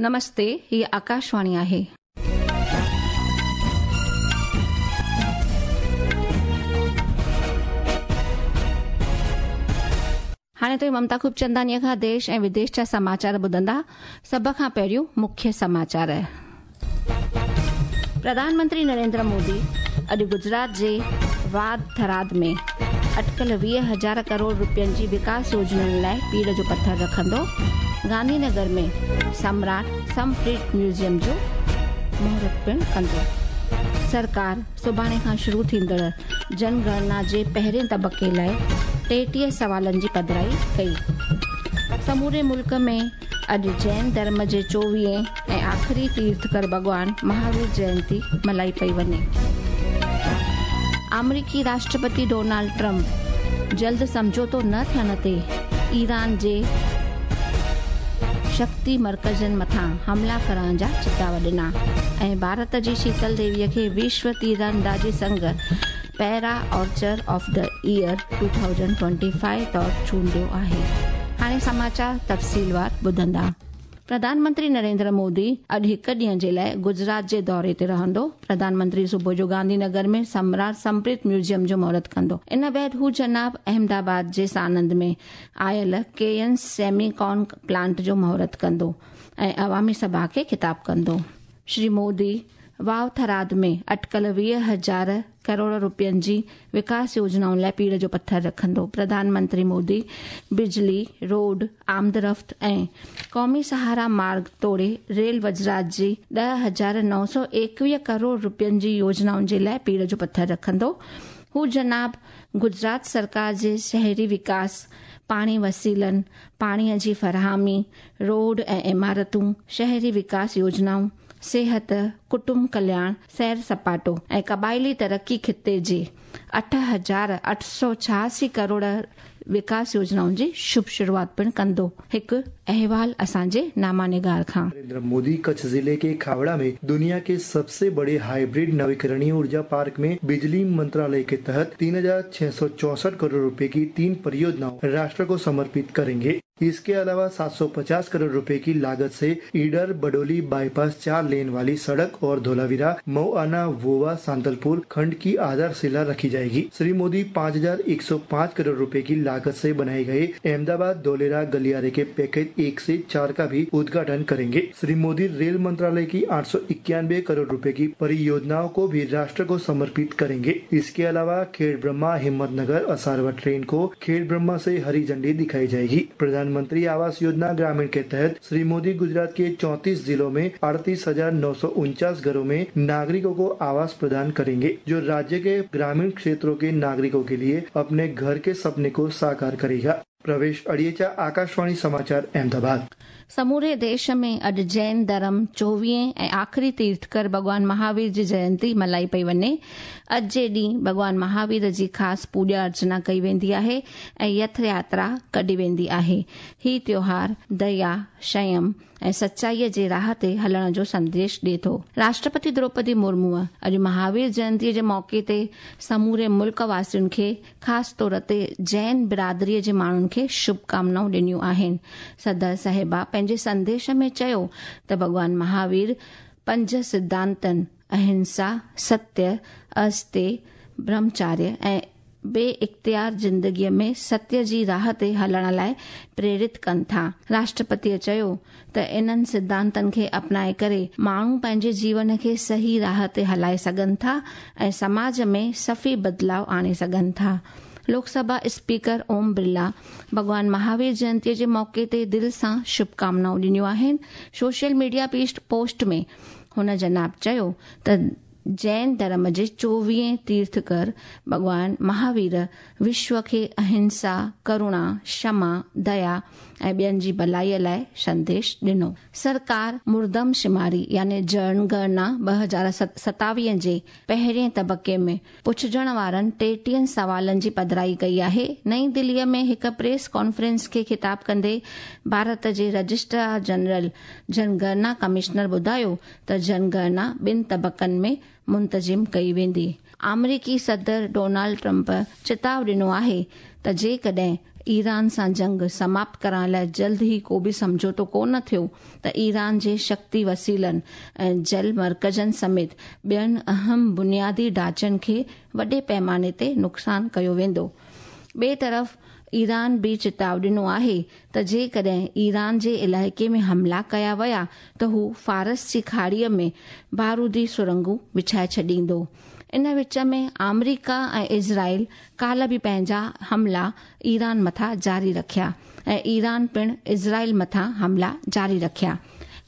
नमस्ते, ही आकाशवाणी आहे. हाणे तुव्हां ममता खूबचंदानीअ खां देश ऐं विदेश जा समाचार ॿुधंदा। सभ खां पहिरियों मुख्य समाचार। प्रधानमंत्री नरेंद्र मोदी अॼु गुजरात जे वाद थराद में अटकल 20,000 करोड़ रुपयनि जी विकास योजनाउनि लाइ पीड़ जो पथर रखंदो। गांधीनगर में सम्राट समप्रीत म्यूज़ियम जो मुहूर्त पिणु कंदो। सरकार सुभाणे खां शुरू थींदड़ जनगणना जे पहिरें तबक़े लाइ 33 सवालनि जी पधराई कई। समूरे मुल्क में अॼु जैन धर्म जे 24वें ऐं आख़िरी तीर्थकर भॻवान महावीर जयंती मल्हाई पई वञे। आमेरिकी राष्ट्रपति डोनाल्ड ट्रंप जल्द सम्झौतो न थियण ते ईरान जे शक्ति मर्कज़नि मथां हमला करण जा चिताव ॾिना ऐं भारत जी शीतल देवीअ खे विश्व तीरंदाज़ी संघ para archer of the year 2025 तौर चूंडियो आहे। हाणे समाचार तफ़सीलवार ॿुधंदा। प्रधानमंत्री नरेंद्र मोदी अॼु हिकु ॾींहं जे लाइ गुजरात जे दौरे ते रहंदो। प्रधानमंत्री सुबुह जो गांधीनगर में सम्राट समप्रीत म्यूज़ियम जो मुहूर्त कंदो। इन बाद हू जनाब अहमदाबाद जे सानंद में आयल के.एन. सेमीकॉन प्लांट जो मुहूर्त कंदो ऐं अवामी सभा खे ख़िताब कंदो। श्री मोदी वाव थराद में अटकल 20,000 करोड़ रुपयनि जी विकास योजनाउनि लाइ पीड़ जो पथर रखंदो। प्रधानमंत्री मोदी बिजली, रोड, आमदरफ़्त ऐं क़ौमी सहारा मार्ग तोड़े रेल वज़रात जी 10,921 करोड़ रुपयनि जी योजनाउनि जे लाइ पीड़ जो पथर रखंदो। हू जनाब गुजरात सरकार जे शहरी विकास, पाणी वसीलनि, पाणीअ जी फराहमी, रोड ऐं इमारतूं, शहरी विकास योजनाऊं, सेहत, कुटुंब कल्याण, सैर सपाटो ऐं क़बाइली तरक़ी ख़िते जे 8,886 करोड़ विकास योजनाउनि जी शुभ शुरुआत पिणु कंदो। हिकु अहवाल असांजे नामानिगार खां। नरेंद्र मोदी कच्छ जिले के खावड़ा में दुनिया के सबसे बड़े हाइब्रिड नवीकरणीय ऊर्जा पार्क में बिजली मंत्रालय के तहत 3,664 करोड़ रुपए की 3 परियोजनाओं राष्ट्र को समर्पित करेंगे। इसके अलावा 750 करोड़ रुपए की लागत से ईडर बडोली बाईपास 4 लेन वाली सड़क और धोलावीरा मऊआना वोवा सांतलपुर खंड की आधारशिला रखी जाएगी। श्री मोदी 5,105 करोड़ रुपए की लागत से बनाए गए अहमदाबाद धोलेरा गलियारे के पैकेज 1 से 4 का भी उद्घाटन करेंगे। श्री मोदी रेल मंत्रालय की 891 करोड़ रुपए की परियोजनाओं को भी राष्ट्र को समर्पित करेंगे। इसके अलावा खेड़ ब्रह्मा हिम्मतनगर असारवा ट्रेन को खेड़ ब्रह्मा से हरी झंडी दिखाई जाएगी। प्रधानमंत्री आवास योजना ग्रामीण के तहत श्री मोदी गुजरात के 34 जिलों में 38,949 घरों में नागरिकों को आवास प्रदान करेंगे, जो राज्य के ग्रामीण क्षेत्रों के नागरिकों के लिए अपने घर के सपने को साकार करेगा। प्रवेश अड़ियेचा, आकाशवाणी समाचार, अहमदाबाद। समूरे देश में अॼु जैन धर्म 24वें ऐं आख़िरी तीर्थकर भॻवान महावीर जी जयंती मल्हाई पई वञे। अॼु जे ॾींहुं भॻवान महावीर जी ख़ासि पूॼा अर्चना कई वेंदी आहे ऐं रथ यात्रा कढी वेंदी आहे। ही त्योहार दया, संयम ऐं सचाईअ जे राह ते हलण जो संदेश ॾिए थो। राष्ट्रपति द्रौपदी मुर्मूअ अॼु महावीर जयंतीअ जे मौक़े ते समूरे मुल्क वासियुनि खे ख़ासि तौर ते जैन बिरादरीअ जे माण्हुनि खे शुभकामनाऊं ॾिनियूं आहिनि। सदर साहिबा पंहिंजे संदेश में चयो त भॻवान महावीर 5 सिद्धांतनि अहिंसा, सत्य, अस्ते, ब्रह्मचार्य ऐं बे इख्तियार ज़िंदगीअ में सत्य जी राह ते हलण लाइ प्रेरित कनि था। राष्ट्रपतीअ चयो त इन्हनि सिद्धांतनि खे अपनाए करे माण्हू पंहिंजे जीवन खे सही राह ते हलाए सघनि था ऐं समाज में सफ़ी बदिलाव आणे सघनि था। लोकसभा स्पीकर ओम बिरला भॻवान महावीर जयंतीअ जे मौक़े ते दिलि सां शुभकामनाऊं ॾिनियूं आहिनि। सोशल मीडिया पोस्ट में हुन जनाब चयो त जैन धर्म जे 24वें तीर्थकर भॻवान महावीर विश्व खे अहिंसा, करुणा, क्षमा, दया ऐं ॿियनि जी भलाईअ लाइ संदेश ॾिनो। सरकार मुर्दम शुमारी यानी जनगणना 2027 जे पहिरें तबक़े में पुछजण वारनि 33 सवालनि जी पधराई कई आहे। नई दिल्लीअ में हिकु प्रेस कॉन्फ्रेंस खे ख़िताब कंदे भारत जे रजिस्ट्रार जनरल जनगणना कमिश्नर ॿुधायो त जनगणना ॿिनि तबक़नि में मुंतज़िम कई वेंदी। आमेरिकी सदर डोनाल्ड ट्रंप चिताव ॾिनो आहे त जेकॾहिं ايران سان جنگ سماپت ڪرڻ لاءِ جلد ئي ڪو به سمجهوتو ڪونه ٿيو ته ايران جي شڪتي وسيلن ۽ جل مرڪزن سميت ٻين اهم بنيادي ڍانچن کي وڏي پيماني تي نقصان ڪيو ويندو. ٻئي طرف ايران به چتاءُ ڏنو آهي ته جيڪڏهن ايران جي علائقي ۾ حملا ڪيا ويا ته هو فارس جي کاڙيءَ ۾ بارودي سرنگون وڇائي ڇڏيندو. ان وچ ۾ آمريڪا ۽ اسرائيل ڪالهه به پنهنجا حملا ايران مٿان جاري رکيا ۽ ايران پڻ اسرائيل مٿان حملا جاري رکيا.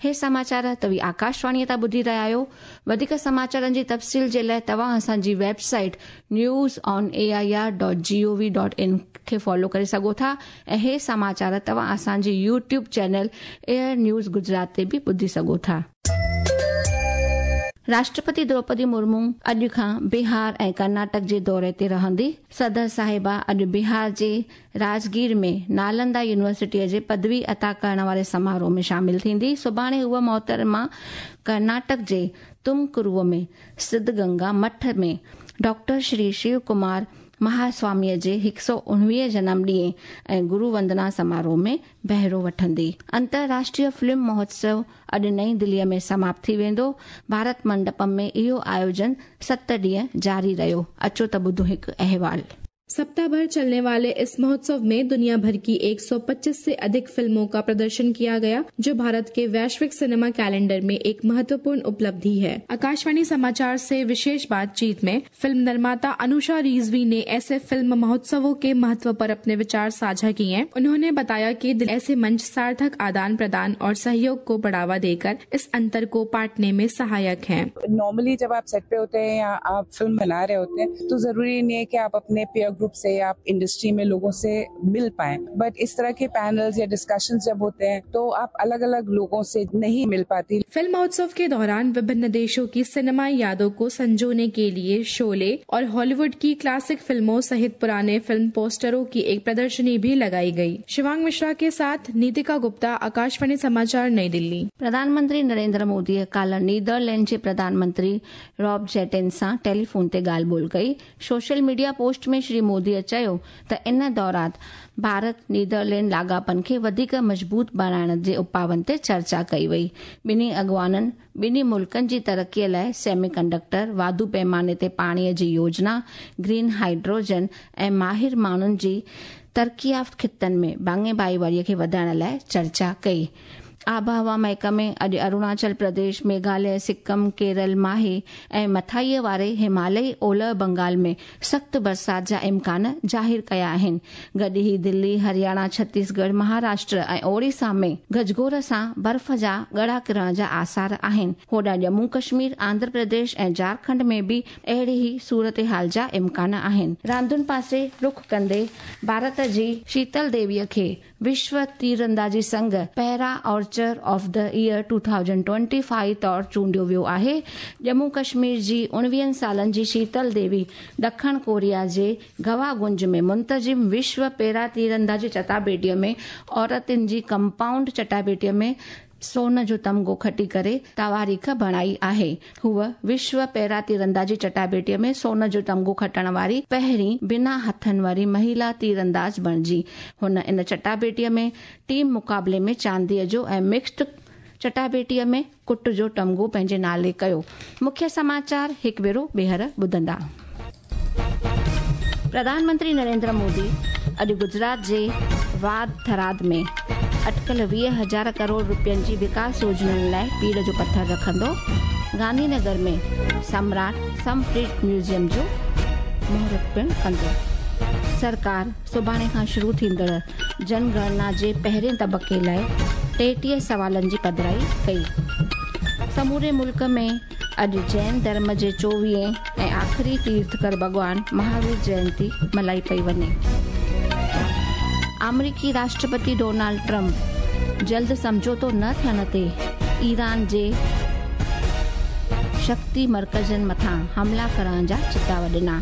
هي سماچار توهين آڪاشواڻيءَ تان ٻڌي رهيا آهيو. وڌيڪ سماچارن جي تفصيل جي لاءِ توهان اسان جي website newsonair.gov.in کي فالو ڪري سگهو ٿا ۽ هي سماچار توهان اسان جي YouTube channel AIR news Gujarat تي به ٻڌي سگهو ٿا. راشٽرپتي دروپدي مرمو اڄ کان بهار ۽ ڪرناٽڪ جي دوري تي رهندي. صدر صاحبه اڄ بهار جي راجگير ۾ نالندا يونيورسٽيءَ جي پدوي عطا ڪرڻ واري سماروهه ۾ شامل ٿيندي. سڀاڻي هوءَ محترمه ڪرناٽڪ جي تمڪروءَ ۾ سڌگنگا مٺ ۾ ڊاڪٽر شري شو ڪمار مهاسواميءَ جي 119 جنم ڏينهن ۽ گرو وندنا سماروهه ۾ بهرو وٺندي. انترراشٽريه فلم مهوتسو اڄ نئين دليءَ ۾ سماپت ٿي ويندو. ڀارت منڊپم ۾ اهو آيوجن 7 ڏينهن جاري رهيو. اچو ته ٻڌون هڪ احوال. सप्ताह भर चलने वाले इस महोत्सव में दुनिया भर की 125 से अधिक फिल्मों का प्रदर्शन किया गया, जो भारत के वैश्विक सिनेमा कैलेंडर में एक महत्वपूर्ण उपलब्धि है। आकाशवाणी समाचार से विशेष बातचीत में फिल्म निर्माता अनुषा रिजवी ने ऐसे फिल्म महोत्सवों के महत्व पर अपने विचार साझा किए। उन्होंने बताया कि ऐसे मंच सार्थक आदान प्रदान और सहयोग को बढ़ावा देकर इस अंतर को पाटने में सहायक है। नॉर्मली जब आप सेट पे होते हैं या आप फिल्म बना रहे होते हैं तो जरूरी नहीं है कि आप अपने पीयर ग्रुप से या आप इंडस्ट्री में लोगों से मिल पाए, बट इस तरह के पैनल्स या डिस्कशंस जब होते हैं तो आप अलग अलग लोगों से नहीं मिल पाती। फिल्म महोत्सव के दौरान विभिन्न देशों की सिनेमाई यादों को संजोने के लिए शोले और हॉलीवुड की क्लासिक फिल्मों सहित पुराने फिल्म पोस्टरों की एक प्रदर्शनी भी लगाई गई। शिवांग मिश्रा के साथ नीतिका गुप्ता, आकाशवाणी समाचार, नई दिल्ली। प्रधानमंत्री नरेंद्र मोदीअ काल्ह नीदरलैंड जे प्रधानमंत्री रॉब जेटन सां टेलीफोन ते ॻाल्हि ॿोल कई। सोशल मीडिया पोस्ट में श्री मोदीअ चयो त इन दौरान भारत नीदरलैंड लाॻापनि खे वधीक मज़बूत बणाइण जे उपाउनि ते चर्चा कई वई। ॿिन्ही अॻवाननि ॿिन्ही मुल्कनि जी तरक़ीअ लाइ सेमी कंडक्टर, वाधू पैमाने ते पाणीअ जी योजना, ग्रीन हाइड्रोजन ऐं माहिर माण्हुनि जी तरक़ी याफ़्त ख़ितनि में भाङे भाईवारीअ खे वधाइण लाइ चर्चा कई। आबहवा महकमे अॼु अरुणाचल प्रदेश, मेघालय, सिक्किम, केरल, माहे ऐं मथाईअ वारे हिमालयी ओलह बंगाल में सख़्तु बरसाति जा इम्कान ज़ाहिर कया आहिनि। गॾु ई दिल्ली, हरियाणा, छत्तीसगढ़, महाराष्ट्र ऐं ओडिशा में गजगोर सां बर्फ़ जा ॻड़ा किरण जा आसार आहिनि। होॾां जम्मू कश्मीर, आंध्र प्रदेश ऐं झारखंड में बि अहिड़ी ई सूरत हाल जा इम्कान आहिनि। रांदुनि पासे रुख कंदे भारत जी शीतल देवीअ खे विश्व तीरंदाज़ी संघ para archer of the year 2025 तौर चूंडियो वियो आहे। जम्मू कश्मीर जी 19 सालनि जी शीतल देवी ॾखण कोरिया जे गवागुंज में मुंतज़िम विश्व पैरा तीरंदाज़ी चटाबेटीअ में औरतुनि जी कंपाउंड चटाबेटीअ में सोन जो तमगो खटी करे तवारीख़ बणाई आहे। हूअ विश्व पैरा तीरंदाज़ी चटाबेटीअ में सोन जो तमगो खटण वारी पहिरीं बिना हथनि वारी महिला तीरंदाज़ बणिजी। हुन इन चटाबेटीअ में टीम मुक़ाबले में चांदीअ जो ऐं मिक्स्ड चटाबेटीअ में कुट जो तमगो पंहिंजे नाले कयो। मुख्य समाचार हिकु भेरो ॿीहर ॿुधंदा। प्रधानमंत्री नरेंद्र मोदी अॼु गुजरात जे वाद थराद में अटकल 20,000 करोड़ रुपयनि जी विकास योजनाउनि लाइ पीड़ जो पथर रखंदो। गांधीनगर में सम्राट समप्रीत म्यूज़ियम जो मुहूर्त पिणु कंदो। सरकार सुभाणे खां शुरू थींदड़ जनगणना जे पहिरें तबक़े लाइ 33 सवालनि जी पधराई कई। समूरे मुल्क में अॼु जैन धर्म जे 24वें ऐं आख़िरी तीर्थकर भॻवान महावीर जयंती मल्हाई पई वञे। आमेरिकी राष्ट्रपति डोनाल्ड ट्रंप जल्द सम्झौतो न थियण ते ईरान जे शक्ति मर्कज़नि मथां हमला करण जा चिताव ॾिना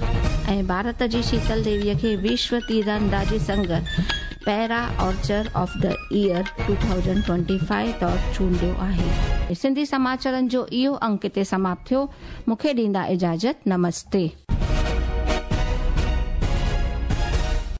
ऐं भारत जी शीतल देवीअ खे विश्व तीरंदाज़ी संघ para archer of the year 2025 तौर चूंडियो आहे। सिंधी समाचारनि जो इहो अंक हिते समाप्त थियो। मूंखे ॾींदा इजाज़त। नमस्ते।